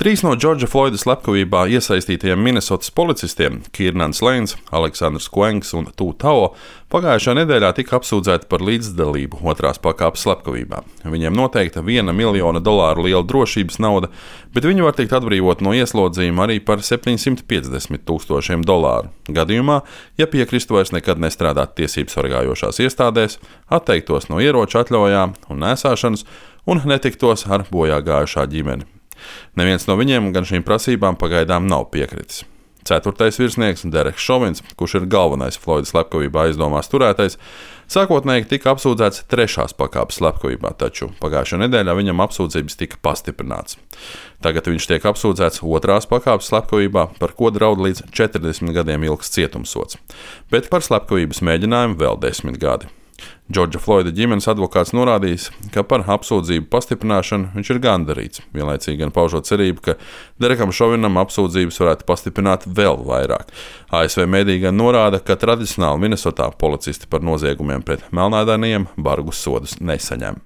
3 no Džordža Floida slepkavībā iesaistītajiem Minesotas policistiem Kirnans Leins, Aleksandrs Kuengs un Tu Tao pagājušā nedēļā tika apsūdzēti par līdzdalību otrās pakāpes slepkavībā. Viņiem noteikta $1 miljona liela drošības nauda, bet viņi var tikt atbrīvot no ieslodzījuma arī par $750,000 gadījumā, ja piekristu vairs nekad nestrādāt tiesību sargājošās iestādēs, atteiktos no ieroču atļaujām un nēsāšanas un netiktos ar bojā gājušā ģimeni. Neviens no viņiem gan šīm prasībām pagaidām nav piekritis. 4. virsnieks Dereks Šovins, kurš ir galvenais Floida slepkavībā aizdomās turētais, sākotnēji tika apsūdzēts 3. pakāpes slepkavībā, taču pagājušā nedēļā viņam apsūdzības tika pastiprināts. Tagad viņš tiek apsūdzēts 2. pakāpes slepkavībā, par ko draud līdz 40 gadiem ilgs cietumsods, bet par slepkavības mēģinājumu vēl 10 gadi. Džordža Floida ģimenes advokāts norādījis, ka par apsūdzību pastiprināšanu viņš ir gandarīts, vienlaicīgi gan paužot cerību, ka Derekam Šovinam apsūdzības varētu pastiprināt vēl vairāk. ASV mediji gan norāda, ka tradicionāli Minesotā policisti par noziegumiem pret melnādainajiem bargus sodus nesaņem.